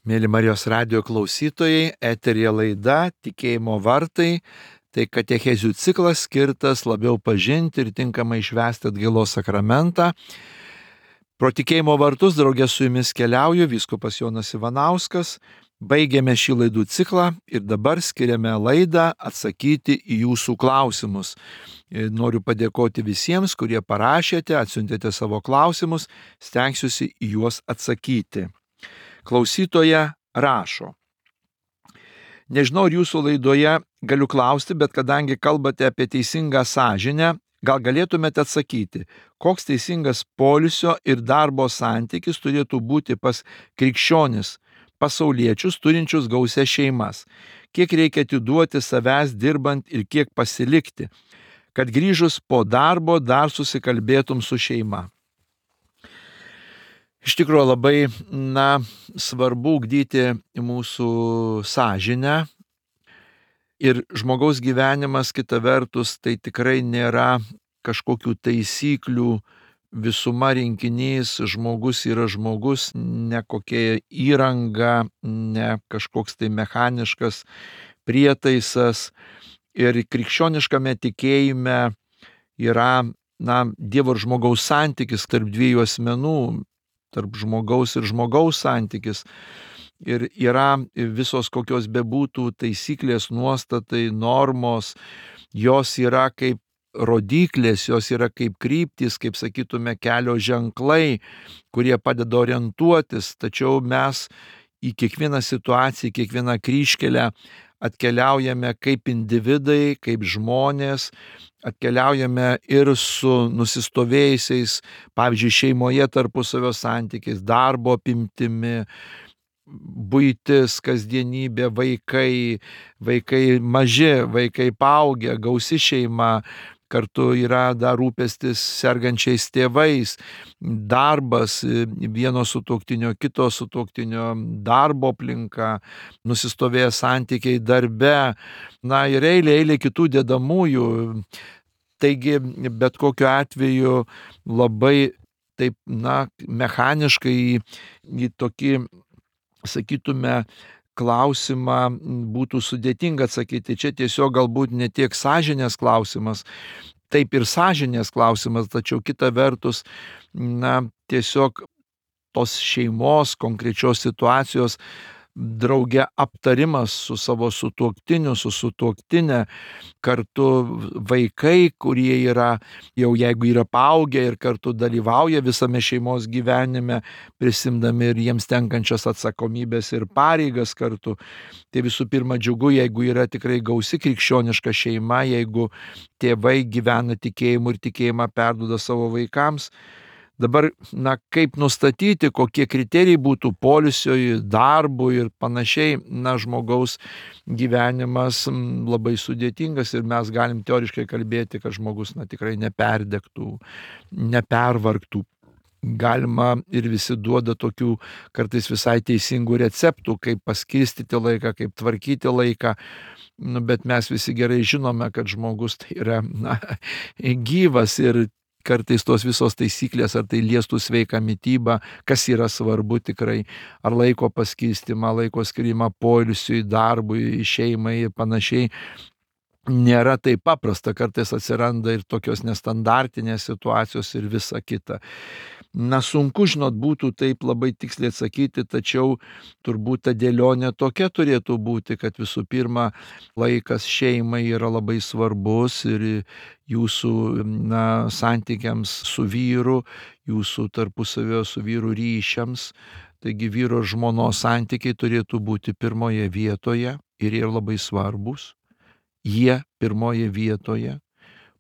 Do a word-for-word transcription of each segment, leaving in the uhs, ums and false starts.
Mėly Marijos radijo klausytojai, eteryje laida Tikėjimo vartai. Tai katechezių ciklas skirtas labiau pažinti ir tinkamai švęsti atgailos sakramentą. Pro Tikėjimo vartus draugė su jumis keliauju vyskupas Jonas Ivanauskas. Baigėme šį laidų ciklą ir dabar skiriame laidą atsakyti į jūsų klausimus. Noriu padėkoti visiems, kurie parašėte, atsiuntėte savo klausimus, stengsiuosi į juos atsakyti. Klausytoja rašo. Nežinau, ar jūsų laidoje galiu klausti, bet kadangi kalbate apie teisingą sąžinę, gal galėtumėte atsakyti, koks teisingas poilsio ir darbo santykis turėtų būti pas krikščionis, pasauliečius turinčius gausias šeimas, kiek reikia atiduoti savęs dirbant ir kiek pasilikti, kad grįžus po darbo dar susikalbėtum su šeima. Iš tikrųjų labai na, svarbu ugdyti mūsų sąžinę ir žmogaus gyvenimas kita vertus tai tikrai nėra kažkokių taisyklių visuma rinkinys, žmogus yra žmogus, ne kokia įranga, ne kažkoks tai mechaniškas prietaisas ir krikščioniškame tikėjime yra na, Dievo ir žmogaus santykis tarp dviejų asmenų, tarp žmogaus ir žmogaus santykis. Ir yra visos kokios bebūtų taisyklės, nuostatai, normos, jos yra kaip rodiklės, jos yra kaip kryptys, kaip sakytume, kelio ženklai, kurie padeda orientuotis, tačiau mes į kiekvieną situaciją, į kiekvieną kryžkelę atkeliaujame kaip individai, kaip žmonės, atkeliaujame ir su nusistovėjusiais, pavyzdžiui, šeimoje tarpusavio santykiais, darbo apimtimi, buitis, kasdienybė, vaikai, vaikai maži, vaikai paaugę, gausi šeima, kartu yra dar rūpestis sergančiais tėvais, darbas, vieno sutuoktinio, kito sutuoktinio, darbo aplinka, nusistovėję santykiai darbe, na ir eilė, eilė kitų dedamųjų. Taigi, bet kokiu atveju labai taip, na, mechaniškai į, į tokį, sakytume, klausimą būtų sudėtinga atsakyti. Čia tiesiog galbūt ne tiek sąžinės klausimas, taip ir sąžinės klausimas, tačiau kita vertus, na, tiesiog tos šeimos konkrečios situacijos drauge aptarimas su savo sutuoktiniu, su sutuoktinė, kartu vaikai, kurie yra, jau jeigu yra paaugę ir kartu dalyvauja visame šeimos gyvenime, prisimdami ir jiems tenkančias atsakomybės ir pareigas kartu. Tai visų pirma džiugu, jeigu yra tikrai gausi krikščioniška šeima, jeigu tėvai gyvena tikėjimu ir tikėjimą perduoda savo vaikams. Dabar, na, kaip nustatyti, kokie kriterijai būtų poilsiui, darbui ir panašiai, na, žmogaus gyvenimas labai sudėtingas ir mes galim teoriškai kalbėti, kad žmogus, na, tikrai neperdegtų, nepervargtų. Galima ir visi duoda tokių kartais visai teisingų receptų, kaip paskirstyti laiką, kaip tvarkyti laiką. Nu, bet mes visi gerai žinome, kad žmogus tai yra, na, gyvas ir kartais tos visos taisyklės, ar tai liestų sveiką mitybą, kas yra svarbu tikrai, ar laiko paskirstymą, laiko skirimą poilsiui, darbui, šeimai ir panašiai, nėra taip paprasta, kartais atsiranda ir tokios nestandartinės situacijos ir visa kita. Na, sunku, žinot, būtų taip labai tiksliai atsakyti, tačiau turbūt ta dėlionė tokia turėtų būti, kad visų pirma laikas šeimai yra labai svarbus ir jūsų, na, santykiams su vyru, jūsų tarpusavio su vyru ryšiams. Taigi vyro ir žmonos santykiai turėtų būti pirmoje vietoje ir jie labai svarbus. Jie pirmoje vietoje.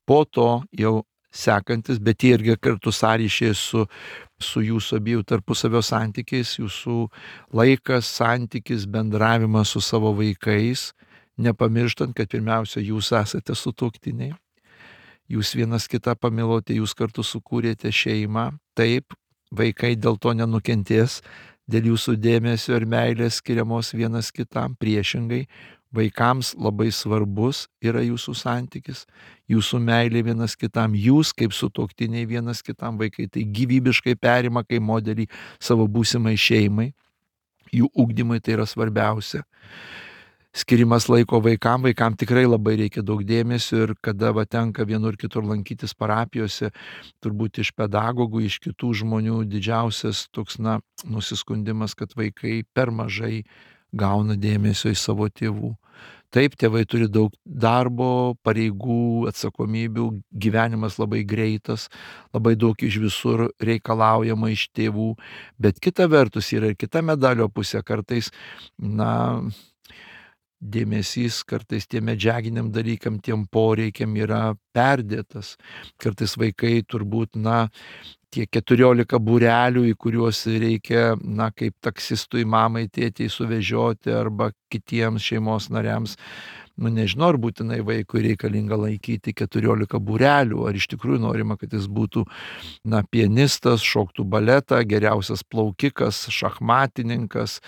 Po to jau sekantis, bet jie irgi kartu sąryšiai su, su jūsų abiejų tarpusavio santykiais, jūsų laikas, santykis, bendravimas su savo vaikais, nepamirštant, kad pirmiausia jūs esate sutuoktiniai, jūs vienas kitą pamilote, jūs kartu sukūrėte šeimą, taip, vaikai dėl to nenukentės, dėl jūsų dėmesio ir meilės skiriamos vienas kitam, priešingai, vaikams labai svarbus yra jūsų santykis, jūsų meilė vienas kitam, jūs kaip sutuoktiniai vienas kitam, vaikai tai gyvybiškai perima kaip modelį savo būsimai šeimai. jų ugdymui tai yra svarbiausia. Skirimas laiko vaikam, vaikam tikrai labai reikia daug dėmesio ir kada va tenka vienur kitur lankytis parapijose, turbūt iš pedagogų, iš kitų žmonių didžiausias toks, na, nusiskundimas, kad vaikai per mažai gauna dėmesio iš savo tėvų. Taip, tėvai turi daug darbo, pareigų, atsakomybių, gyvenimas labai greitas, labai daug iš visur reikalaujama iš tėvų, bet kita vertus yra ir kita medalio pusė, kartais, na, dėmesys kartais tiem medžiaginiam dalykam, tiem poreikiam yra perdėtas. Kartais vaikai turbūt, na, tie keturiolika būrelių, į kuriuos reikia, na, kaip taksistui, mamai, tėtei suvežioti arba kitiems šeimos nariams, nu, nežinau, ar būtinai vaikui reikalinga laikyti keturiolika būrelių, ar iš tikrųjų norima, kad jis būtų, na, pianistas, šoktų baletą, geriausias plaukikas, šachmatininkas,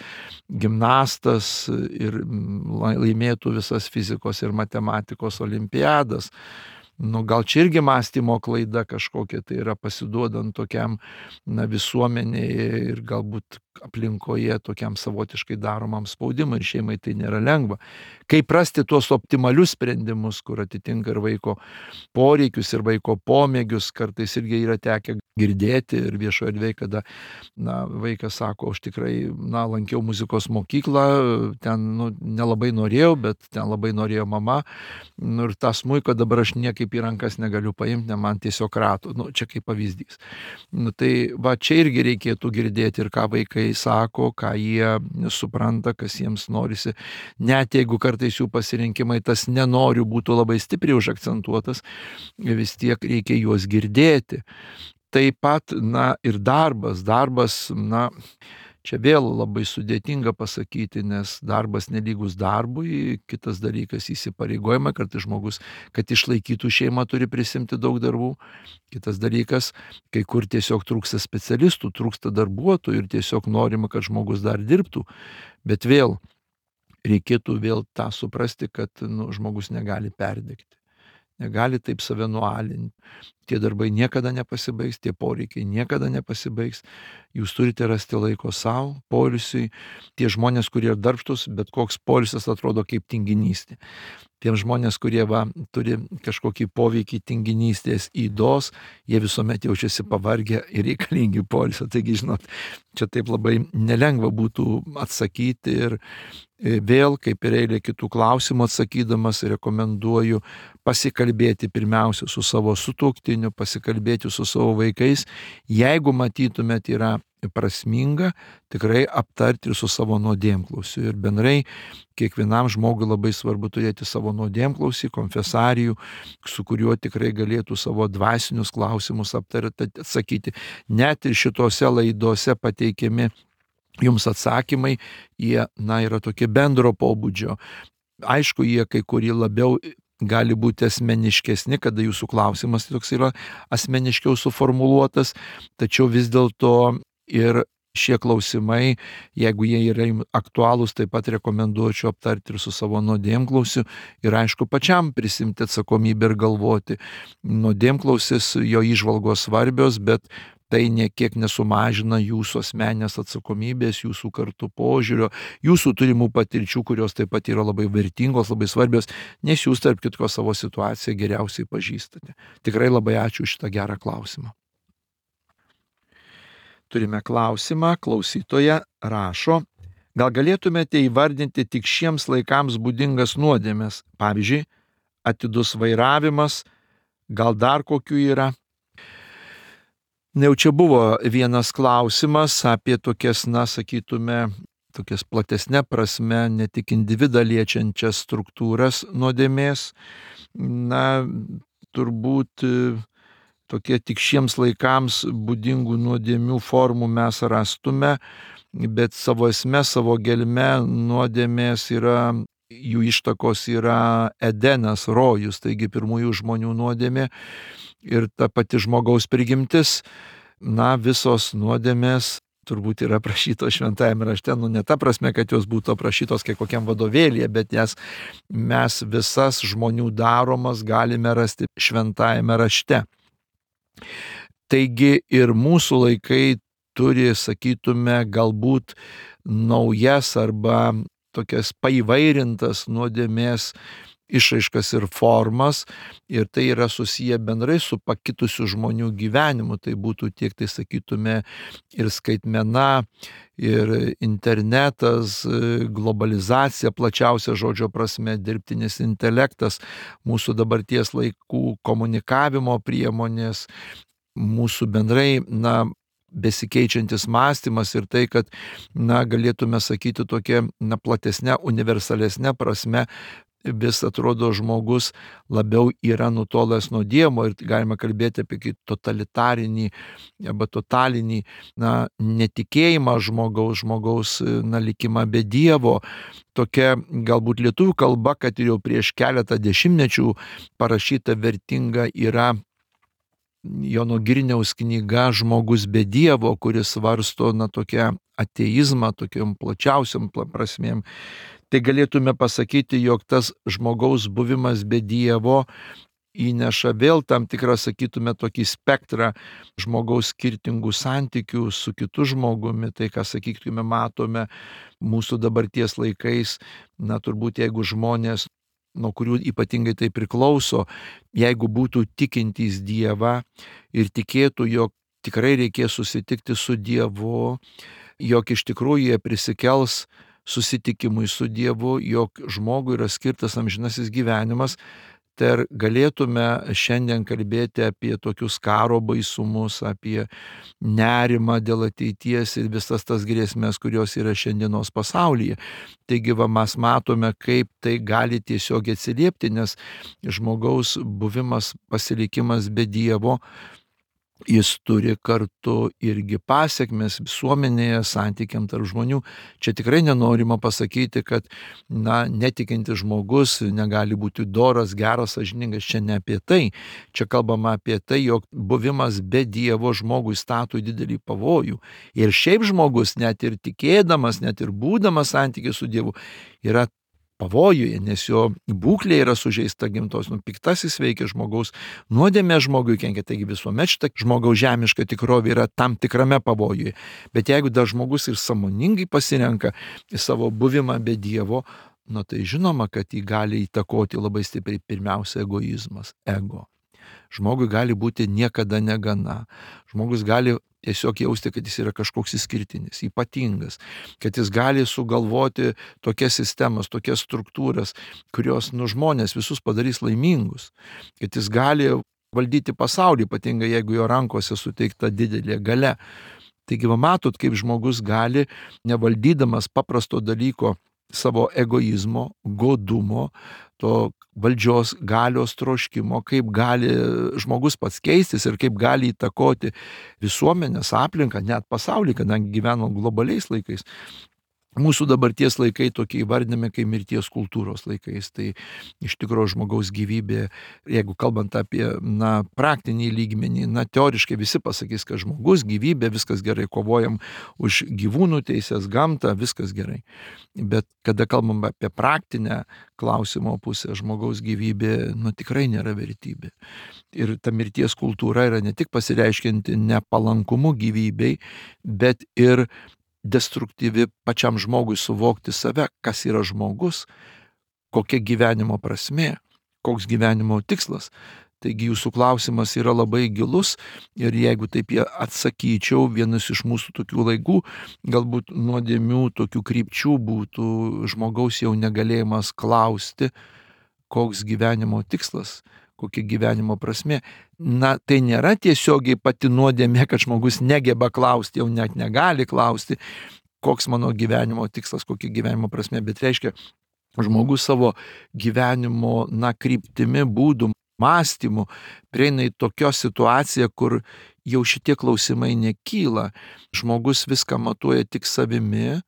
gimnastas ir laimėtų visas fizikos ir matematikos olimpiadas. Nu, gal čia irgi mąstymo klaida kažkokia, tai yra pasiduodant tokiam, na, visuomenėje ir galbūt aplinkoje tokiam savotiškai daromam spaudimui ir šeimai tai nėra lengva. Kaip rasti tuos optimalius sprendimus, kur atitinka ir vaiko poreikius, ir vaiko pomėgius, kartais irgi yra tekę girdėti ir viešoje erdvėje, kada, na, vaikas sako, aš tikrai, na, lankiau muzikos mokyklą, ten, nu, nelabai norėjau, bet ten labai norėjo mama, nu, ir tą smuiką dabar aš niekaip į rankas negaliu paimti, ne, man tiesiog rato, nu, čia kaip pavyzdys. Nu, tai va, čia irgi reikėtų girdėti ir ką vaikai sako, ką jie supranta, kas jiems norisi, net jeigu kartais jų pasirinkimai tas nenoriu būtų labai stipriai užakcentuotas, vis tiek reikia juos girdėti. Taip pat, na, ir darbas, darbas, na, čia vėl labai sudėtinga pasakyti, nes darbas nelygus darbui, kitas dalykas įsipareigojimai, kartais žmogus, kad išlaikytų šeimą, turi prisimti daug darbų, kitas dalykas, kai kur tiesiog trūksta specialistų, trūksta darbuotojų ir tiesiog norima, kad žmogus dar dirbtų, bet vėl reikėtų vėl tą suprasti, kad, nu, žmogus negali perdegti. Negali taip save nualinti. Tie darbai niekada nepasibaigs, tie poreikiai niekada nepasibaigs. Jūs turite rasti laiko savo, poilsiui. Tie žmonės, kurie yra darbštūs, bet koks poilsis atrodo kaip tinginystė. Tiem žmonės, kurie va, turi kažkokį poveikį tinginystės ydos, jie visuomet jaučiasi pavargę ir reikalingi poilsio. Taigi, žinot, čia taip labai nelengva būtų atsakyti ir vėl, kaip ir eilė kitų klausimų atsakydamas, rekomenduoju pasikalbėti pirmiausia su savo sutuoktiniu, pasikalbėti su savo vaikais. Jeigu matytumėt yra prasminga, tikrai aptarti ir su savo nuodėmklausiu. Ir bendrai kiekvienam žmogui labai svarbu turėti savo nuodėmklausį, konfesarijų, su kuriuo tikrai galėtų savo dvasinius klausimus aptarti, atsakyti. Net ir šitose laidose pateikiami jums atsakymai, jie, na, yra tokie bendro pobūdžio. Aišku, jie kai kurie labiau gali būti asmeniškesni, kada jūsų klausimas toks yra asmeniškiau suformuluotas, tačiau vis dėlto ir šie klausimai, jeigu jie yra aktualūs, taip pat rekomenduočiau aptarti ir su savo nuodėmklausiu ir aišku pačiam prisimti atsakomybę ir galvoti. Nuodėmklausis, jo įžvalgos svarbios, bet tai niekiek nesumažina jūsų asmeninės atsakomybės, jūsų kartu požiūrio, jūsų turimų patirčių, kurios taip pat yra labai vertingos, labai svarbios, nes jūs tarp kitko savo situaciją geriausiai pažįstate. Tikrai labai ačiū už šitą gerą klausimą. Turime klausimą, klausytoja rašo, gal galėtumėte įvardinti tik šiems laikams būdingas nuodėmes, pavyzdžiui, atidus vairavimas, gal dar kokių yra? Jau čia buvo vienas klausimas apie tokias, na, sakytume, tokias platesnė prasme, ne tik individą liečiančias struktūras nuodėmės. Na, turbūt tokie tik šiems laikams būdingų nuodėmių formų mes rastume, bet savo esme, savo gelme nuodėmės yra, jų ištakos yra Edenas, rojus, taigi pirmųjų žmonių nuodėmė. Ir ta pati žmogaus prigimtis, na, visos nuodėmės turbūt yra aprašytos šventajame rašte, nu ne ta prasme, kad jos būtų aprašytos kaip kokiam vadovėlyje, bet jas mes visas žmonių daromas galime rasti šventajame rašte. Taigi ir mūsų laikai turi, sakytume, galbūt naujas arba tokias paįvairintas nuodėmės išraiškas ir formas, ir tai yra susiję bendrai su pakitusiu žmonių gyvenimu. Tai būtų tiek, tai sakytume, ir skaitmena, ir internetas, globalizacija, plačiausia žodžio prasme, dirbtinis intelektas, mūsų dabarties laikų komunikavimo priemonės, mūsų bendrai, na, besikeičiantis mąstymas ir tai, kad, na, galėtume sakyti tokia, na, platesnė, universalesnė prasme, vis atrodo žmogus labiau yra nutolęs nuo Dievo ir galima kalbėti apie totalitarinį arba totalinį, na, netikėjimą žmogaus, žmogaus, na, likimą be Dievo. Tokia galbūt lietuvių kalba, kad jau prieš keletą dešimtmečių parašyta vertinga yra Jono Girniaus knyga Žmogus be Dievo, kuris svarsto, na, tokią ateizmą, tokiam plačiausiam prasmėm. Tai galėtume pasakyti, jog tas žmogaus buvimas be Dievo įneša vėl tam tikrą, sakytume, tokį spektrą žmogaus skirtingų santykių su kitu žmogumi. Tai, ką, sakytume, matome mūsų dabarties laikais, na, turbūt jeigu žmonės, nuo kurių ypatingai tai priklauso, jeigu būtų tikintys Dievą ir tikėtų, jog tikrai reikės susitikti su Dievu, jog iš tikrųjų jie prisikels susitikimui su Dievu, jog žmogui yra skirtas amžinasis gyvenimas, tai ar galėtume šiandien kalbėti apie tokius karo baisumus, apie nerimą dėl ateities ir visas tas grėsmės, kurios yra šiandienos pasaulyje. Taigi, va, mes matome, kaip tai gali tiesiog atsiliepti, nes žmogaus buvimas, pasilikimas be Dievo, jis turi kartu irgi pasekmes visuomenėje, santykiam tarp žmonių. Čia tikrai nenorima pasakyti, kad, na, netikintis žmogus negali būti doras, geras, sąžiningas. Čia ne apie tai. Čia kalbama apie tai, jog buvimas be Dievo žmogui stato į didelį pavojų. Ir šiaip žmogus, net ir tikėdamas, net ir būdamas santykiai su Dievu, yra pavojuje, nes jo būklė yra sužeista gimtos, nu, piktasis veikia žmogaus, nuodėmė žmogui kenkia, taigi visuomet šita žmogaus žemiška tikrovė yra tam tikrame pavojuje. Bet jeigu dar žmogus ir sąmoningai pasirenka savo buvimą be Dievo, nu, tai žinoma, kad jį gali įtakoti labai stipriai pirmiausia egoizmas, ego. Žmogui gali būti niekada negana. Žmogus gali tiesiog jausti, kad jis yra kažkoks išskirtinis, ypatingas, kad jis gali sugalvoti tokias sistemas, tokias struktūras, kurios, nu, žmonės visus padarys laimingus, kad jis gali valdyti pasaulį, ypatingai jeigu jo rankose suteikta didelė galia. Taigi, va, matot, kaip žmogus gali, nevaldydamas paprasto dalyko, savo egoizmo, godumo, to valdžios galios troškimo, kaip gali žmogus pats keistis ir kaip gali įtakoti visuomenės, aplinką, net pasaulį, kadangi gyvenam globaliais laikais. Mūsų dabarties laikai tokie įvardinami kaip mirties kultūros laikais. Tai iš tikrųjų žmogaus gyvybė, jeigu kalbant apie, na, praktinį lygmenį, na, teoriškai visi pasakys, kad žmogus, gyvybė, viskas gerai, kovojam už gyvūnų teisės, gamtą, viskas gerai. Bet kada kalbam apie praktinę klausimo pusę, žmogaus gyvybė, nu, tikrai nėra vertybė. Ir ta mirties kultūra yra ne tik pasireiškianti nepalankumu gyvybei, bet ir destruktyvi pačiam žmogui suvokti save, kas yra žmogus, kokia gyvenimo prasmė, koks gyvenimo tikslas. Taigi jūsų klausimas yra labai gilus ir jeigu taip jie atsakyčiau, vienas iš mūsų tokių laikų, galbūt nuodėmių tokių krypčių būtų žmogaus jau negalėjimas klausti, koks gyvenimo tikslas, kokia gyvenimo prasmė. Na, tai nėra tiesiogiai pati nuodėmė, kad žmogus negeba klausti, jau net negali klausti, koks mano gyvenimo tikslas, kokia gyvenimo prasmė, bet reiškia, žmogus savo gyvenimo, na, kryptimi, būdų, mąstymu prieina į tokią situaciją, kur jau šitie klausimai nekyla. Žmogus viską matuoja tik savimi,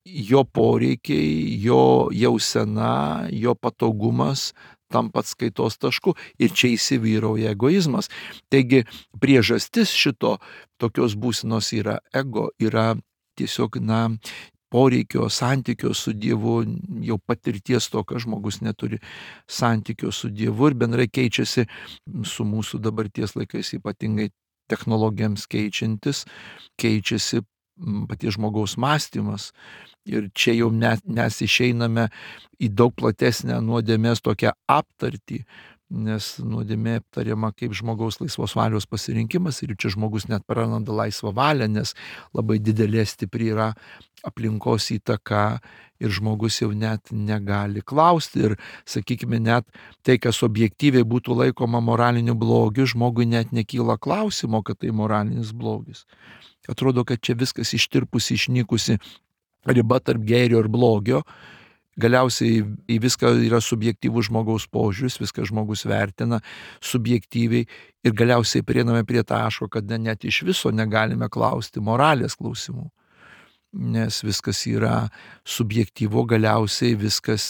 jo poreikiai, jo jausena, jo patogumas tampa atskaitos tašku ir čia įsivyrauja egoizmas. Taigi priežastis šito tokios būsenos yra ego, yra tiesiog, na, poreikio, santykio su Dievu, jau patirties to, kad žmogus neturi santykio su Dievu ir bendrai keičiasi su mūsų dabarties laikais, ypatingai technologijams keičiantis, keičiasi paties žmogaus mąstymas. Ir čia jau net, mes išeiname į daug platesnę nuodėmės tokią aptartį, nes nuodėmė aptariama kaip žmogaus laisvos valios pasirinkimas ir čia žmogus net praranda laisvą valią, nes labai didelė stipri yra aplinkos įtaka ir žmogus jau net negali klausti ir, sakykime, net tai, kas objektyviai būtų laikoma moraliniu blogiu, žmogui net nekyla klausimo, kad tai moralinis blogis. Atrodo, kad čia viskas ištirpusi, išnykusi riba tarp gėrio ir blogio. Galiausiai į viską yra subjektyvus žmogaus požiūris, viską žmogus vertina subjektyviai ir galiausiai prieiname prie taško, kad net iš viso negalime klausti moralės klausimų. Nes viskas yra subjektyvu, galiausiai viskas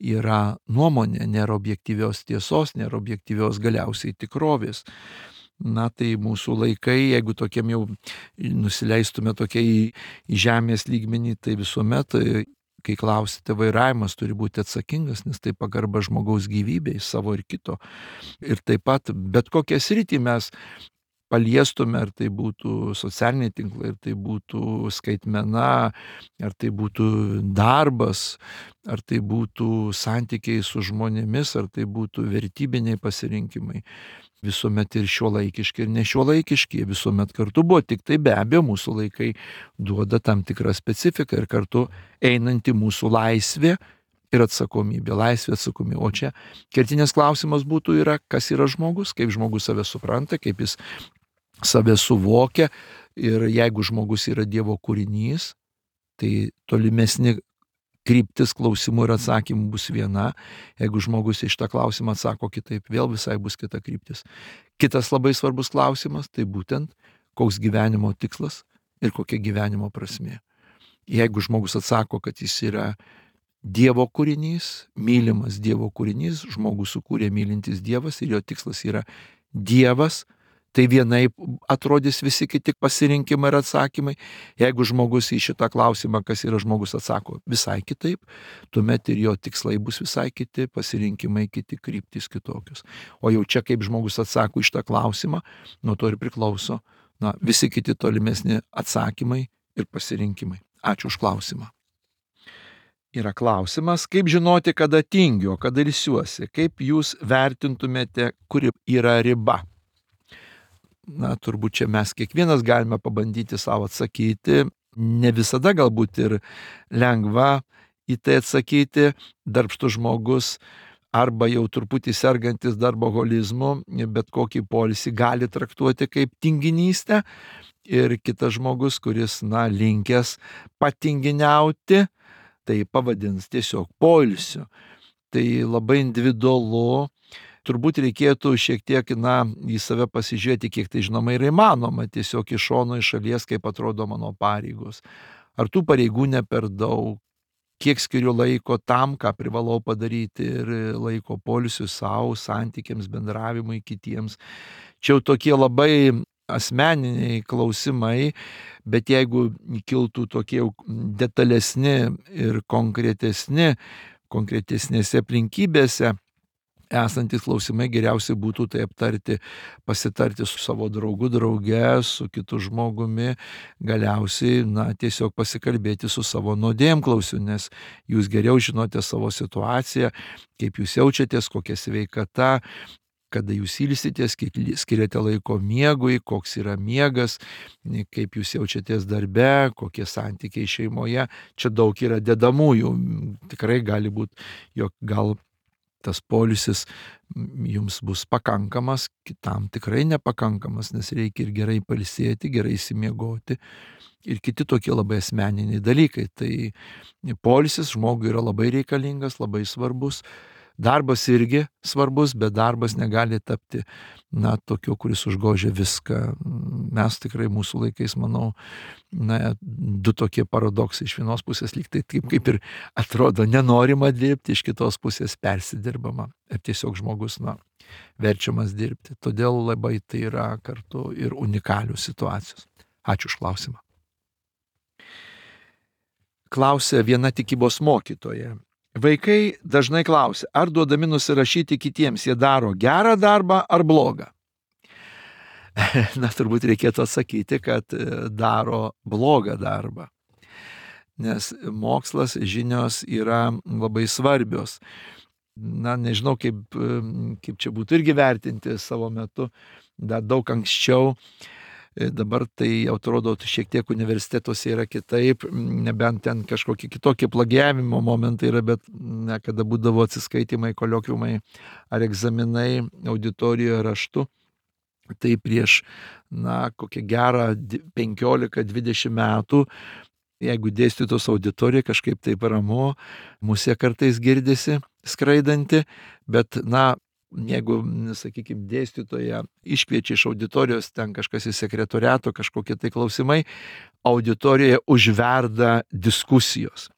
yra nuomonė, nėra objektyvios tiesos, nėra objektyvios galiausiai tikrovės. Na tai mūsų laikai, jeigu tokiam jau nusileistume tokia į, į žemės lygmenį, tai visuomet, kai klausite, vairavimas turi būti atsakingas, nes tai pagarba žmogaus gyvybei, savo ir kito. Ir taip pat bet kokią sritį mes paliestume, ar tai būtų socialiniai tinklai, ar tai būtų skaitmena, ar tai būtų darbas, ar tai būtų santykiai su žmonėmis, ar tai būtų vertybiniai pasirinkimai. Visuomet ir šiuolaikiški, ir nešiuolaikiški, visuomet kartu buvo, tik tai be abejo mūsų laikai duoda tam tikrą specifiką ir kartu einanti mūsų laisvė ir atsakomybė, laisvė atsakomybė. O čia kertinės klausimas būtų yra, kas yra žmogus, kaip žmogus save supranta, kaip jis save suvokia ir jeigu žmogus yra Dievo kūrinys, tai tolimesni kryptis klausimų ir atsakymų bus viena, jeigu žmogus iš tą klausimą atsako kitaip, vėl visai bus kita kryptis. Kitas labai svarbus klausimas, tai būtent koks gyvenimo tikslas ir kokia gyvenimo prasmė. Jeigu žmogus atsako, kad jis yra Dievo kūrinys, mylimas Dievo kūrinys, žmogus sukūrė mylintis Dievas ir jo tikslas yra Dievas, tai vienaip atrodys visi kiti pasirinkimai ir atsakymai. Jeigu žmogus į šitą klausimą, kas yra žmogus, atsako visai kitaip, tuomet ir jo tikslai bus visai kiti, pasirinkimai kiti, kryptys kitokios. O jau čia kaip žmogus atsako į šitą klausimą, nuo to ir priklauso na, visi kiti tolimesni atsakymai ir pasirinkimai. Ačiū už klausimą. Yra klausimas, kaip žinoti, kada tingiu, kada ilsiuosi, kaip jūs vertintumėte, kuri yra riba? Na, turbūt čia mes kiekvienas galime pabandyti savo atsakyti, ne visada galbūt ir lengva į tai atsakyti, darbštus žmogus arba jau truputį sergantis darboholizmu, bet kokį poilsį gali traktuoti kaip tinginystę ir kitas žmogus, kuris, na, linkęs patinginiauti, tai pavadins tiesiog poilsiu. Tai labai individualu. Turbūt reikėtų šiek tiek, na, į save pasižiūrėti, kiek tai žinoma yra įmanoma, tiesiog iš šono, iš šalies, kaip atrodo mano pareigos. Ar tų pareigų ne per daug, kiek skiriu laiko tam, ką privalau padaryti ir laiko poilsiui savo, santykiams, bendravimui kitiems. Čia jau tokie labai asmeniniai klausimai, bet jeigu kiltų tokie detalesni ir konkretesni, konkretesnėse aplinkybėse, esantis klausimai, geriausiai būtų tai aptarti, pasitarti su savo draugu, drauge, su kitu žmogumi, galiausiai, na, tiesiog pasikalbėti su savo nuodėmklausiu, nes jūs geriau žinote savo situaciją, kaip jūs jaučiatės, kokia sveikata, kada jūs ilsitės, kiek skiriate laiko miegui, koks yra miegas, kaip jūs jaučiatės darbe, kokie santykiai šeimoje. Čia daug yra dedamųjų. Tikrai gali būti, jog gal tas poilsis jums bus pakankamas, kitam tikrai nepakankamas, nes reikia ir gerai pailsėti, gerai įsimiegoti ir kiti tokie labai asmeniniai dalykai. Tai poilsis žmogui yra labai reikalingas, labai svarbus. Darbas irgi svarbus, bet darbas negali tapti, na, tokiu, kuris užgožia viską. Mes tikrai mūsų laikais, manau, na, du tokie paradoksai. Iš vienos pusės lyg tai taip, kaip ir atrodo nenorima dirbti, iš kitos pusės persidirbama. Ir tiesiog žmogus, na, verčiamas dirbti. Todėl labai tai yra kartu ir unikalių situacijos. Ačiū už klausimą. Klausė viena tikybos mokytoja. Vaikai dažnai klausia, ar duodami nusirašyti kitiems jie daro gerą darbą ar blogą. Na, turbūt reikėtų atsakyti, kad daro blogą darbą. Nes mokslas, žinios yra labai svarbios. Na, nežinau, kaip, kaip čia būtų irgi vertinti savo metu, dar daug anksčiau. Dabar tai atrodo šiek tiek universitetuose yra kitaip, nebent ten kažkokie kitokie plagiavimo momentai yra, bet ne, kada būdavo atsiskaitimai, koliokviumai ar egzaminai auditorijoje raštu, tai prieš, na, kokią gerą penkiolika dvidešimt metų, jeigu dėstytos auditorija kažkaip taip ramu, musė kartais girdisi skraidanti, bet, na, jeigu, sakykime, dėstytoja iškviečia iš auditorijos, ten kažkas į sekretoriato, kažkokie tai klausimai, auditorijoje užverda diskusijos.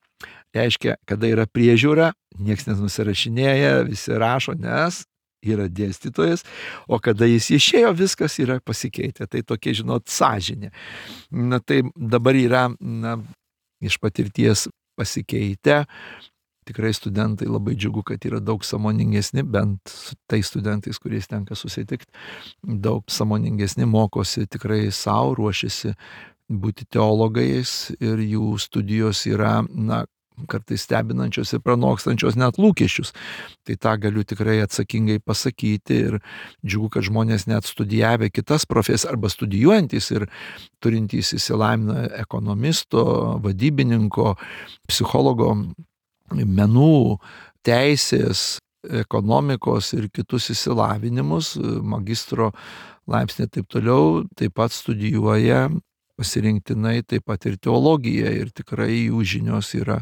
Reiškia, kada yra priežiūra, nieks nenusirašinėja, visi rašo, nes yra dėstytojas, o kada jis išėjo, viskas yra pasikeitę. Tai tokia, žinot, sąžinė. Na, tai dabar yra, na, iš patirties pasikeitę. Tikrai studentai labai džiugu, kad yra daug sąmoningesni, bent su tais studentais, kuriais tenka susitikti, daug sąmoningesni, mokosi tikrai savo, ruošiasi būti teologais ir jų studijos yra, na, kartais stebinančios ir pranokstančios net lūkesčius. Tai tą galiu tikrai atsakingai pasakyti ir džiugu, kad žmonės net studijavę kitas profesijas arba studijuojantys ir turintys išsilavinimą ekonomisto, vadybininko, psichologo, menų, teisės, ekonomikos ir kitus išsilavinimus, magistro laipsnį ir taip toliau, taip pat studijuoja pasirinktinai taip pat ir teologiją ir tikrai jų žinios yra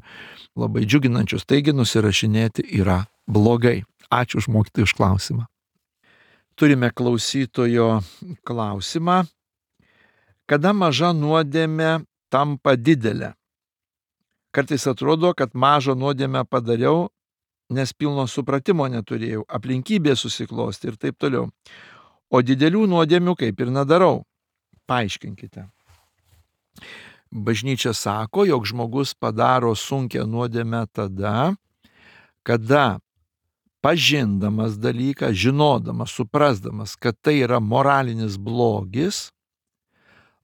labai džiuginančios. Taigi nusirašinėti yra blogai. Ačiū už mokytojų už klausimą. Turime klausytojo klausimą. Kada maža nuodėmė tampa didelė? Kartais atrodo, kad mažą nuodėmę padariau, nes pilno supratimo neturėjau, aplinkybė susiklosti ir taip toliau. O didelių nuodėmių kaip ir nedarau. Paaiškinkite. Bažnyčia sako, jog žmogus padaro sunkią nuodėmę tada, kada pažindamas dalyką, žinodamas, suprasdamas, kad tai yra moralinis blogis,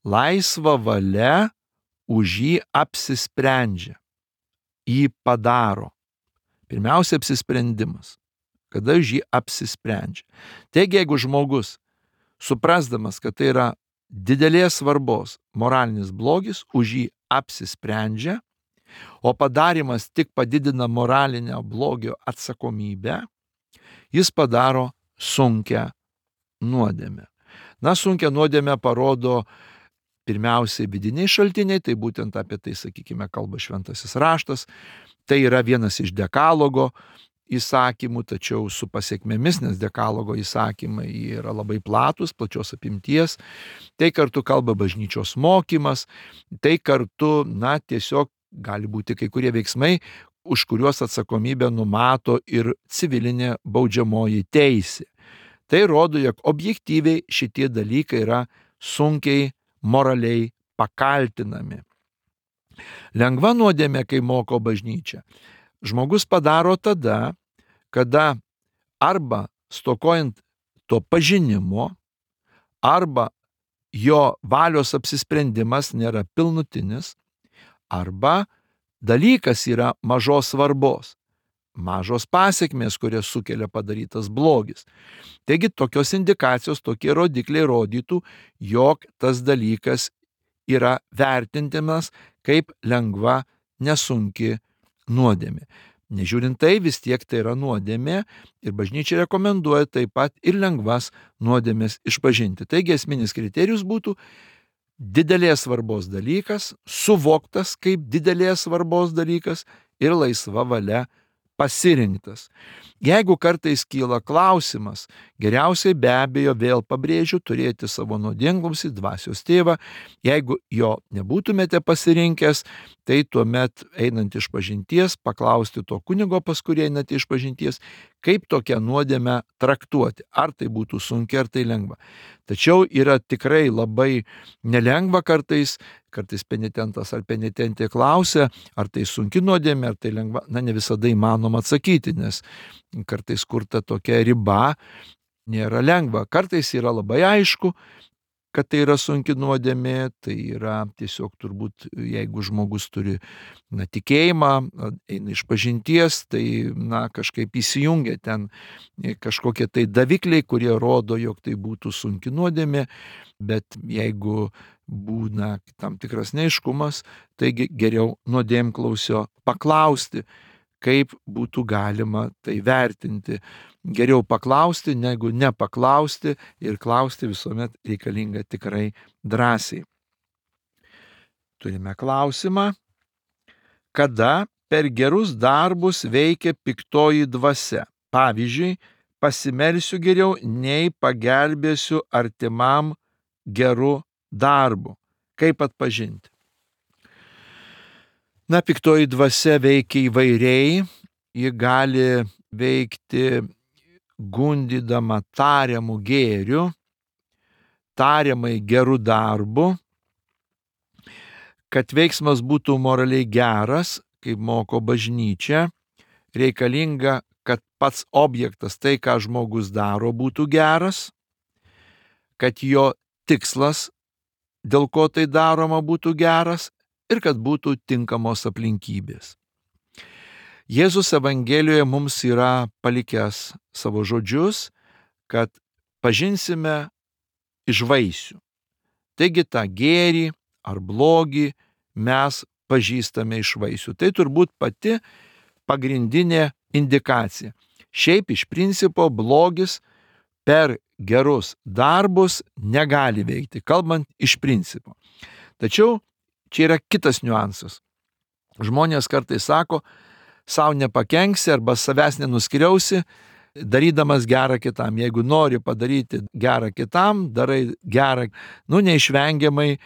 laisva valia už jį apsisprendžia, jį padaro. Pirmiausia, apsisprendimas, kada už jį apsisprendžia. Taigi, jeigu žmogus, suprasdamas, kad tai yra didelės svarbos moralinis blogis, už jį apsisprendžia, o padarimas tik padidina moralinio blogio atsakomybę, jis padaro sunkią nuodėmę. Na, sunkią nuodėmę parodo pirmiausiai vidiniai šaltiniai, tai būtent apie tai, sakykime, kalba šventasis raštas, tai yra vienas iš dekalogo įsakymų, tačiau su pasiekmėmis, nes dekalogo įsakymai yra labai platus, plačios apimties, tai kartu kalba bažnyčios mokymas, tai kartu, na, tiesiog gali būti kai kurie veiksmai, už kuriuos atsakomybę numato ir civilinė baudžiamoji teisė. Tai rodo, jog objektyviai šitie dalykai yra sunkiai moraliai pakaltinami. Lengva nuodėmė, kai moko bažnyčia, žmogus padaro tada, kada arba stokojant to pažinimo, arba jo valios apsisprendimas nėra pilnutinis, arba dalykas yra mažos svarbos, mažos pasekmės, kurias sukelia padarytas blogis. Taigi tokios indikacijos, tokie rodikliai rodytų, jog tas dalykas yra vertintinas kaip lengva, nesunki nuodėmė. Nežiūrint tai, vis tiek tai yra nuodėmė ir bažnyčia rekomenduoja taip pat ir lengvas nuodėmės išpažinti. Taigi esminis kriterijus būtų didelės svarbos dalykas, suvoktas kaip didelės svarbos dalykas ir laisva valia pasirinktas. Jeigu kartais kyla klausimas, geriausiai be abejo vėl pabrėžiu turėti savo nuodėmklausį dvasios tėvą. Jeigu jo nebūtumėte pasirinkęs, tai tuomet einant iš pažinties, paklausti to kunigo, pas kurį einate iš pažinties, kaip tokią nuodėmę traktuoti. Ar tai būtų sunki, ar tai lengva. Tačiau yra tikrai labai nelengva kartais, kartais penitentas ar penitentė klausia, ar tai sunki nuodėmė, ar tai lengva. Na, ne visada įmanoma atsakyti, nes kartais kur ta tokia riba nėra lengva. Kartais yra labai aišku, kad tai yra sunki nuodėmė, tai yra tiesiog turbūt, jeigu žmogus turi na, tikėjimą, eina iš pažinties, tai na, kažkaip įsijungia ten kažkokie tai davikliai, kurie rodo, jog tai būtų sunki nuodėmė, bet jeigu būna tam tikras neaiškumas, taigi geriau nuodėmklausio paklausti, kaip būtų galima tai vertinti. Geriau paklausti, negu nepaklausti, ir klausti visuomet reikalinga tikrai drąsiai. Turime klausimą. Kada per gerus darbus veikia piktoji dvasia? Pavyzdžiui, pasimelsiu geriau, nei pagelbėsiu artimam geru darbu. Kaip atpažinti? Na, piktoji dvasia veikia įvairiai, ji gali veikti gundydama tariamų gėrių, tariamai gerų darbų. Kad veiksmas būtų moraliai geras, kaip moko bažnyčia, reikalinga, kad pats objektas, tai ką žmogus daro, būtų geras, kad jo tikslas, dėl ko tai daroma, būtų geras, ir kad būtų tinkamos aplinkybės. Jėzus Evangelijoje mums yra palikęs savo žodžius, kad pažinsime iš vaisių. Taigi tą gėrį ar blogį mes pažįstame iš vaisių. Tai turbūt pati pagrindinė indikacija. Šiaip iš principo blogis per gerus darbus negali veikti, kalbant iš principo. Tačiau čia yra kitas niuansas. Žmonės kartais sako, savo nepakenksi arba savęs nenuskriausi, darydamas gerą kitam. Jeigu nori padaryti gerą kitam, darai gerą, nu neišvengiamai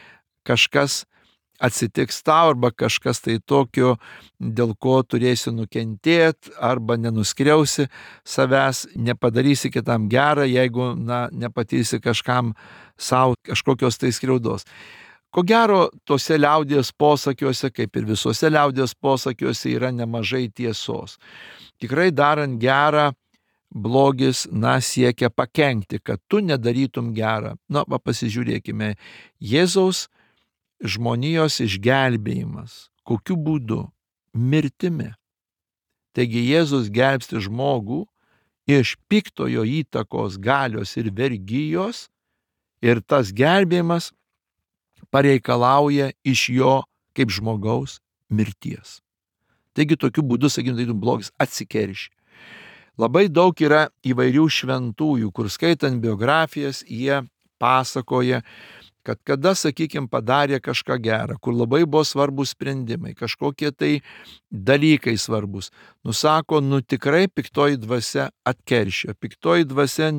kažkas atsitiks tau arba kažkas tai tokio, dėl ko turėsi nukentėti arba nenuskriausi savęs, nepadarysi kitam gerą, jeigu na, nepatirsi kažkam savo kažkokios tai skriaudos. Ko gero, tose liaudies posakiuose, kaip ir visose liaudies posakiuose, yra nemažai tiesos. Tikrai darant gerą, blogis, na, siekia pakenkti, kad tu nedarytum gerą. Na, va, pasižiūrėkime, Jėzaus žmonijos išgelbėjimas. Kokiu būdu? Mirtimi. Taigi Jėzus gelbsti žmogų iš piktojo įtakos, galios ir vergijos, ir tas gelbėjimas pareikalauja iš jo kaip žmogaus mirties. Taigi tokiu būdu, sakykime, tai blogis atsikerši. Labai daug yra įvairių šventųjų, kur skaitant biografijas, jie pasakoja, kad kada, sakykime, padarė kažką gerą, kur labai buvo svarbus sprendimai, kažkokie tai dalykai svarbus. Nusako, nu tikrai piktoji dvasia atkeršė, piktoji dvasia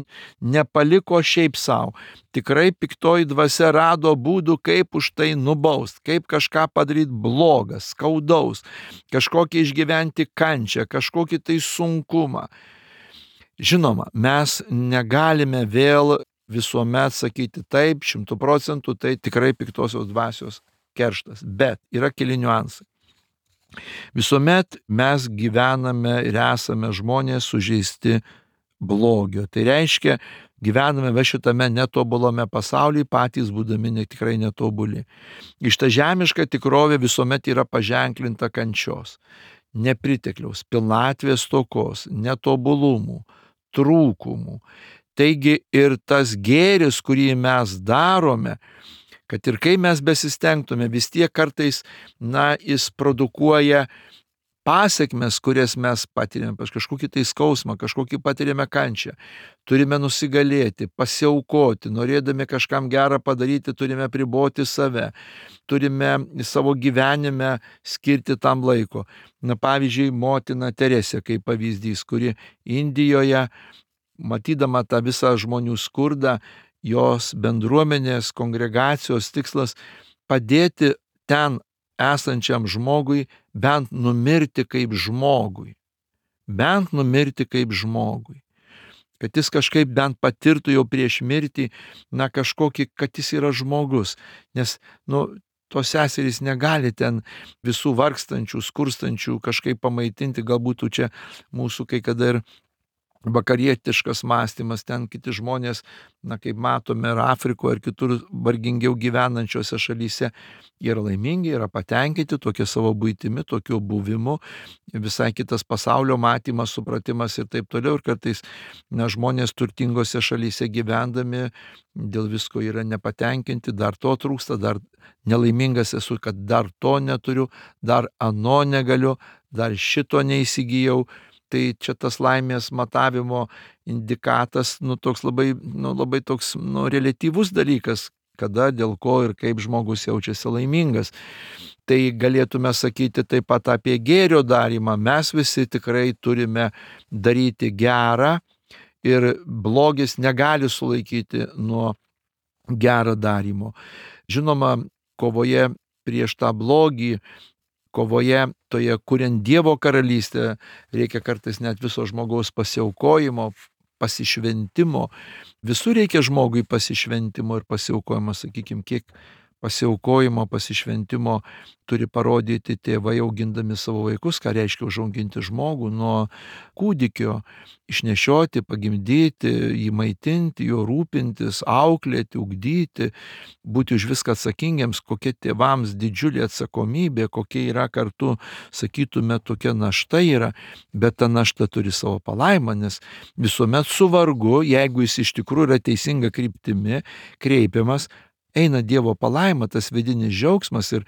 nepaliko šiaip savo. Tikrai piktoji dvasia rado būdų, kaip už tai nubaust, kaip kažką padaryti blogas, skaudaus, kažkokį išgyventi kančią, kažkokį tai sunkumą. Žinoma, mes negalime vėl visuomet sakyti taip, šimtų procentų, tai tikrai piktosios dvasios kerštas. Bet yra keli niuansai. Visuomet mes gyvename ir esame žmonės sužeisti blogio. Tai reiškia, gyvename va šitame netobulame pasaulyje, patys būdami ne, tikrai netobuli. Iš ta žemiška tikrovė visuomet yra paženklinta kančios, nepritekliaus, pilnatvės stokos, netobulumų, trūkumų. Taigi ir tas gėris, kurį mes darome, kad ir kai mes besistengtume, vis tiek kartais, na, jis produkuoja pasiekmes, kurias mes patiriame, kažkokį tai skausmą, kažkokį patiriame kančią. Turime nusigalėti, pasiaukoti, norėdami kažkam gerą padaryti, turime priboti save, turime savo gyvenime skirti tam laiko. Na, pavyzdžiui, motina Teresė kaip pavyzdys, kuri Indijoje, matydama tą visą žmonių skurdą, jos bendruomenės, kongregacijos tikslas padėti ten esančiam žmogui bent numirti kaip žmogui. Bent numirti kaip žmogui. Kad jis kažkaip bent patirtų jau prieš mirtį, na kažkokį, kad jis yra žmogus. Nes, nu, tos seserys negali ten visų vargstančių, skurstančių kažkaip pamaitinti, galbūt čia mūsų kai kada ir vakarietiškas mąstymas, ten kiti žmonės, na kaip matome, ir Afrikoje, ir kitur vargingiau gyvenančiose šalyse, jie yra laimingi, yra patenkinti tokia savo buitimi, tokiu buvimu, visai kitas pasaulio matymas, supratimas ir taip toliau. Ir kartais, na, žmonės turtingose šalyse gyvendami dėl visko yra nepatenkinti, dar to trūksta, dar nelaimingas esu, kad dar to neturiu, dar ano negaliu, dar šito neįsigijau. Tai čia tas laimės matavimo indikatas, nu, toks labai, nu, labai toks, nu, reliatyvus dalykas, kada, dėl ko ir kaip žmogus jaučiasi laimingas. Tai galėtume sakyti taip pat apie gėrio darymą. Mes visi tikrai turime daryti gerą ir blogis negali sulaikyti nuo gerą darymo. Žinoma, kovoje prieš tą blogį, kovoje toje, kuriant Dievo karalystę, reikia kartais net viso žmogaus pasiaukojimo, pasišventimo. Visur reikia žmogui pasišventimo ir pasiaukojimo, sakykime, kiek pasiaukojimo, pasišventimo turi parodyti tėvai augindami savo vaikus, ką reiškia užauginti žmogų nuo kūdikio, išnešioti, pagimdyti, jį maitinti, juo rūpintis, auklėti, ugdyti, būti už viską atsakingiams, kokia tėvams didžiulė atsakomybė, kokia yra kartu, sakytume, tokia našta yra, bet ta našta turi savo palaimą, nes visuomet su vargu, jeigu jis iš tikrųjų yra teisinga kryptimi kreipiamas, eina Dievo palaima, tas vidinis džiaugsmas, ir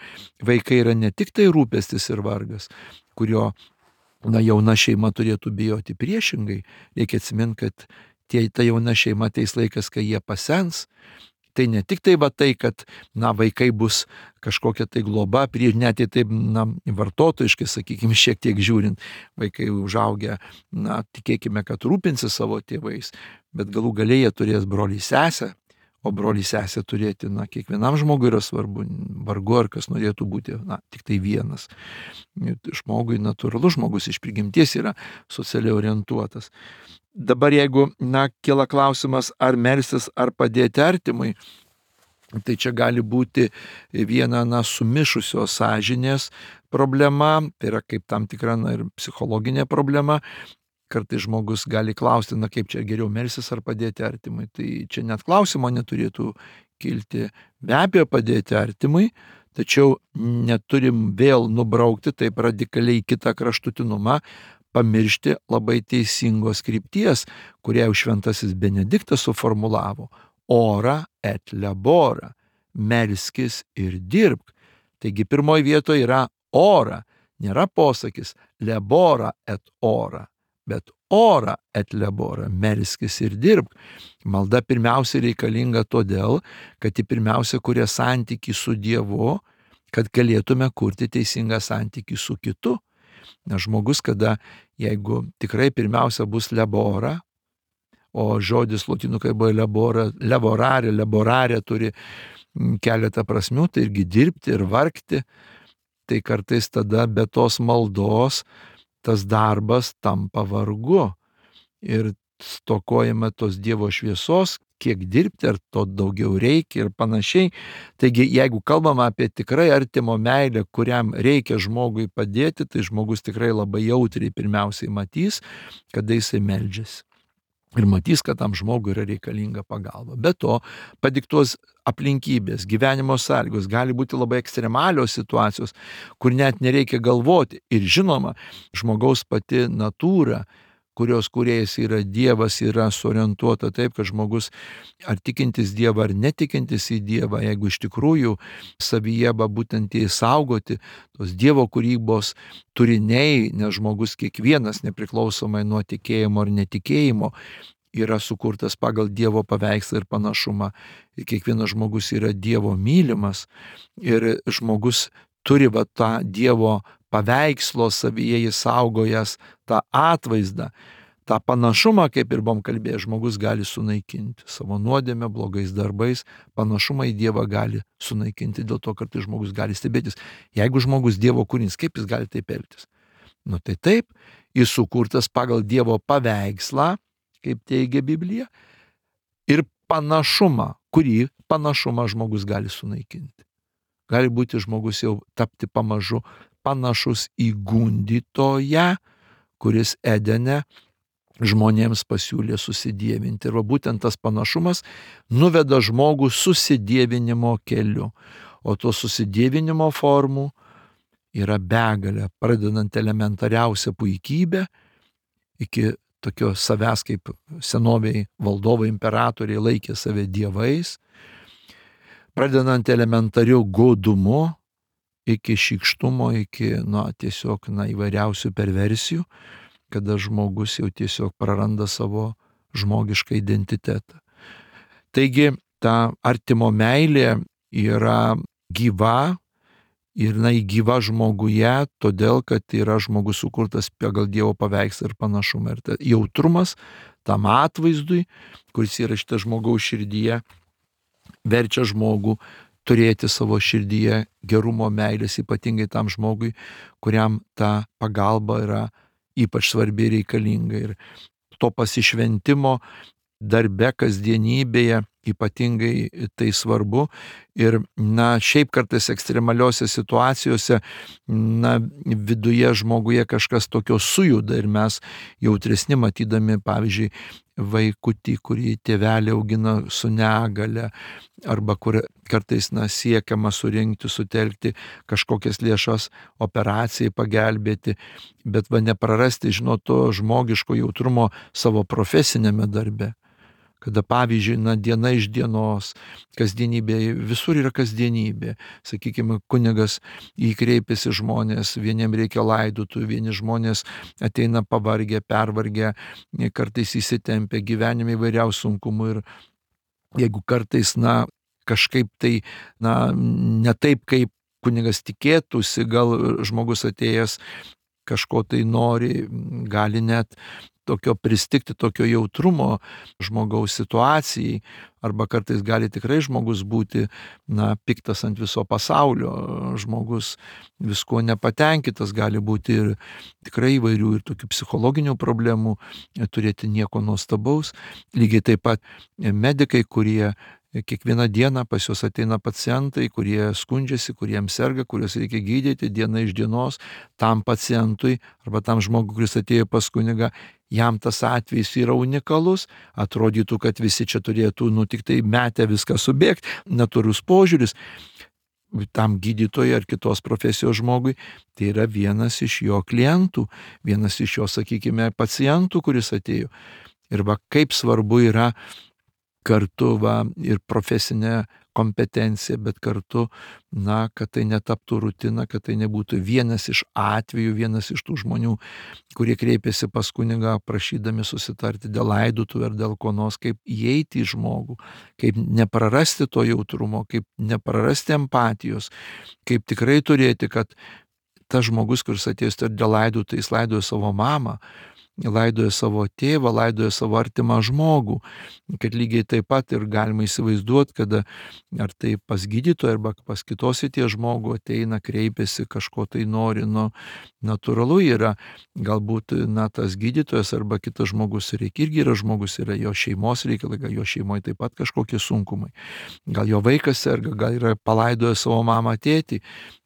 vaikai yra ne tik tai rūpestis ir vargas, kurio, na, jauna šeima turėtų bijoti. Priešingai, reikia atsiminti, kad tie, ta jauna šeima ateis laikas, kai jie pasens. Tai ne tik tai va tai, kad, na, vaikai bus kažkokia tai globa, prieš net į taip, na, vartotojiškai, sakykime, šiek tiek žiūrint, vaikai užaugę, na, tikėkime, kad rūpinsi savo tėvais, bet galų gale jie turės brolį sesę. O brolį sesę turėti, na, kiekvienam žmogui yra svarbu, vargu ar kas norėtų būti, na, tik tai vienas. Žmogui natūralus, žmogus iš prigimties yra socialiai orientuotas. Dabar jeigu, na, kyla klausimas, ar melstis, ar padėti artimui, tai čia gali būti viena, na, sumišusios sąžinės problema, tai yra kaip tam tikra, na, ir psichologinė problema. Kartais žmogus gali klausti, na, kaip čia geriau melstis ar padėti artimui. Tai čia net klausimo neturėtų kilti. Be abejo, padėti artimui, tačiau neturim vėl nubraukti taip radikaliai kitą kraštutinumą, pamiršti labai teisingos krypties, kurią jau šventasis Benediktas suformulavo. Ora et labora. Melskis ir dirbk. Taigi pirmoji vietoje yra ora. Nėra posakis labora et ora, bet ora et labora, melskis ir dirbk. Malda pirmiausia reikalinga todėl, kad ji pirmiausia kuria santykį su Dievu, kad galėtume kurti teisingą santykį su kitu. Nes žmogus, kada, jeigu tikrai pirmiausia bus labora, o žodis lotynų kalboje labora, laborare, laborare turi keletą prasmių, tai irgi dirbti ir vargti, tai kartais tada be tos maldos tas darbas tampa vargu ir stokojame tos Dievo šviesos, kiek dirbti, ar to daugiau reikia ir panašiai. Taigi, jeigu kalbame apie tikrai artimo meilę, kuriam reikia žmogui padėti, tai žmogus tikrai labai jautriai pirmiausiai matys, kada jisai meldžiasi. Ir matys, kad tam žmogui yra reikalinga pagalba. Be to, padiktuos aplinkybės, gyvenimo sąlygos, gali būti labai ekstremalios situacijos, kur net nereikia galvoti. Ir žinoma, žmogaus pati natūra, kurios kūrėjas yra Dievas, yra suorientuota taip, kad žmogus ar tikintis Dievą, ar netikintis į Dievą, jeigu iš tikrųjų savyje būtent įsaugoti tos Dievo kūrybos turiniai, nes žmogus kiekvienas, nepriklausomai nuo tikėjimo ar netikėjimo, yra sukurtas pagal Dievo paveikslą ir panašumą. Ir kiekvienas žmogus yra Dievo mylimas ir žmogus turi va tą Dievo paveikslo savyje įsaugojęs tą atvaizdą, tą panašumą, kaip ir buvom kalbėję, žmogus gali sunaikinti savo nuodėmę, blogais darbais, panašumą į Dievą gali sunaikinti, dėl to kartais žmogus gali stebėtis. Jeigu žmogus Dievo kūrinys, kaip jis gali taip elgtis? Nu tai taip, jis sukurtas pagal Dievo paveikslą, kaip teigia Biblija, ir panašumą, kurį panašumą žmogus gali sunaikinti. Gali būti žmogus jau tapti pamažu panašus į gundytoją, kuris Edene žmonėms pasiūlė susidievinti. Ir va būtent tas panašumas nuveda žmogų susidievinimo keliu. O to susidievinimo formų yra begalė, pradedant elementariausią puikybę iki tokio savęs, kaip senoviai valdovai imperatoriai laikė save dievais, pradedant elementariu godumu iki šykštumo, iki na, tiesiog na, įvairiausių perversijų, kada žmogus jau tiesiog praranda savo žmogišką identitetą. Taigi ta artimo meilė yra gyva ir jinai gyva žmoguje, todėl kad yra žmogus sukurtas pagal Dievo paveikslą ir panašumą. Ir ta jautrumas tam atvaizdui, kuris yra šitą žmogaus širdyje, verčia žmogų turėti savo širdyje gerumo, meilės, ypatingai tam žmogui, kuriam ta pagalba yra ypač svarbi ir reikalinga. Ir to pasišventimo darbe, kasdienybėje ypatingai tai svarbu. Ir na, šiaip kartais ekstremaliuose situacijose na, viduje žmoguje kažkas tokio sujuda ir mes jautresni matydami, pavyzdžiui, vaikutį, kurį tėvelė augina su negale, arba kur kartais na, siekiama surinkti, sutelkti kažkokias lėšas operacijai pagelbėti, bet va neprarasti, žinot, to žmogiško jautrumo savo profesinėme darbe. Kada pavyzdžiui, na, diena iš dienos, kasdienybė, visur yra kasdienybė. Sakykime, kunigas įkreipiasi žmonės, vieniem reikia laidotų, vieni žmonės ateina pavargę, pervargę, kartais įsitempę, gyvenime įvairiausių sunkumų. Ir jeigu kartais, na, kažkaip tai, na, ne taip, kaip kunigas tikėtųsi, gal žmogus atėjęs kažko tai nori, gali net tokio pristigti, tokio jautrumo žmogaus situacijai, arba kartais gali tikrai žmogus būti, na, piktas ant viso pasaulio, žmogus visko nepatenkintas, gali būti ir tikrai įvairių ir tokių psichologinių problemų, turėti nieko nuostabaus. Lygiai taip pat medikai, kurie kiekvieną dieną pas juos ateina pacientai, kurie skundžiasi, kuriems serga, kuriuos reikia gydyti diena iš dienos, tam pacientui arba tam žmogui, kuris atėjo pas kunigą, jam tas atvejis yra unikalus, atrodytų, kad visi čia turėtų, nu, tik tai metę viską subėgti, natūrus požiūris. Tam gydytojui ar kitos profesijos žmogui, tai yra vienas iš jo klientų, vienas iš jo, sakykime, pacientų, kuris atėjo. Ir va, kaip svarbu yra kartu va, ir profesinė kompetencija, bet kartu, na, kad tai netaptų rutina, kad tai nebūtų vienas iš atvejų, vienas iš tų žmonių, kurie kreipiasi pas kunigą prašydami susitarti dėl laidotuvių ar dėl ko nors, kaip įeiti į žmogų, kaip neprarasti to jautrumo, kaip neprarasti empatijos, kaip tikrai turėti, kad tas žmogus, kuris atėjęs dėl laidotuvių, jis laidojo savo mamą, laidoja savo tėvą, laidoja savo artimą žmogų, kad lygiai taip pat ir galima įsivaizduoti, kada ar tai pas gydytoją arba pas kitos tie žmogų ateina, kreipiasi, kažko tai nori, nu, natūralu yra, galbūt, na, tas gydytojas arba kitas žmogus reikia, irgi yra žmogus, yra jo šeimos reikalai, gal jo šeimoje taip pat kažkokie sunkumai, gal jo vaikas serga, gal yra palaidoja savo mamą, tėtį.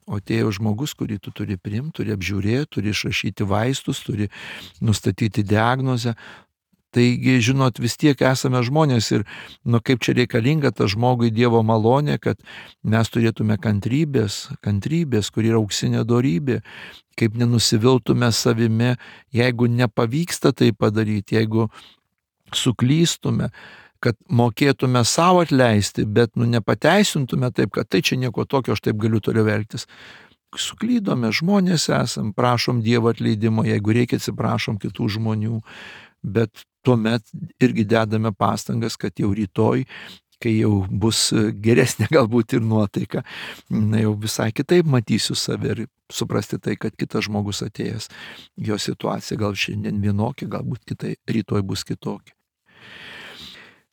O atėjo žmogus, kurį tu turi priimti, turi apžiūrėti, turi išrašyti vaistus, turi nustatyti diagnozę. Taigi, žinot, vis tiek esame žmonės ir, nu, kaip čia reikalinga ta žmogui Dievo malonė, kad mes turėtume kantrybės, kantrybės, kur yra auksinė dorybė, kaip nenusiviltume savimi, jeigu nepavyksta tai padaryti, jeigu suklystume, kad mokėtume savo atleisti, bet nu nepateisintume taip, kad tai čia nieko tokio, aš taip galiu toliau elgtis. Suklydome, žmonės esam, prašom Dievo atleidimo, jeigu reikia atsiprašom kitų žmonių, bet tuomet irgi dedame pastangas, kad jau rytoj, kai jau bus geresnė galbūt ir nuotaika, na jau visai kitaip matysiu save ir suprasti tai, kad kitas žmogus atėjęs, jo situacija gal šiandien vienokia, galbūt kitai, rytoj bus kitokia.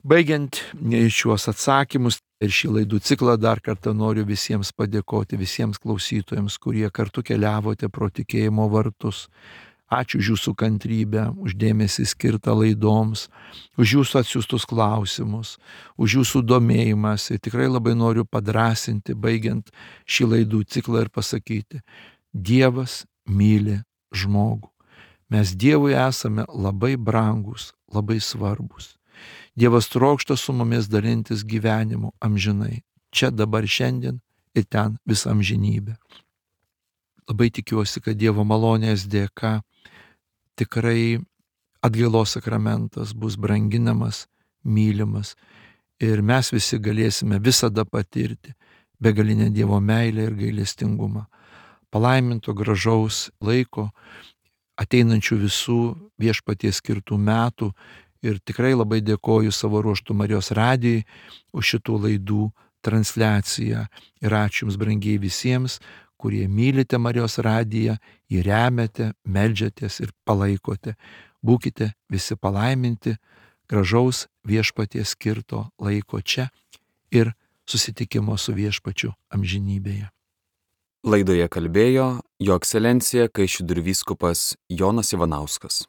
Baigiant šiuos atsakymus ir šį laidų ciklą, dar kartą noriu visiems padėkoti, visiems klausytojams, kurie kartu keliavote pro tikėjimo vartus. Ačiū už jūsų kantrybę, už dėmesį skirtą laidoms, už jūsų atsiųstus klausimus, už jūsų domėjimas. Ir tikrai labai noriu padrąsinti, baigiant šį laidų ciklą ir pasakyti, Dievas myli žmogų. Mes Dievui esame labai brangus, labai svarbus. Dievas trokšta su mumis dalintis gyvenimu amžinai, čia dabar šiandien ir ten visą amžinybę. Labai tikiuosi, kad Dievo malonės dėka tikrai atgailos sakramentas bus branginamas, mylimas ir mes visi galėsime visada patirti begalinę Dievo meilę ir gailestingumą. Palaiminto gražaus laiko, ateinančių visų Viešpaties skirtų metų ir tikrai labai dėkoju savo ruožtu Marijos radijui už šitų laidų transliaciją. Ir ačiū Jums, brangiai, visiems, kurie mylite Marijos radiją, jį remiate, meldžiatės ir palaikote. Būkite visi palaiminti, gražaus Viešpaties skirto laiko čia ir susitikimo su Viešpačiu amžinybėje. Laidoje kalbėjo Jo Ekscelencija Kaišiadorių vyskupas Jonas Ivanauskas.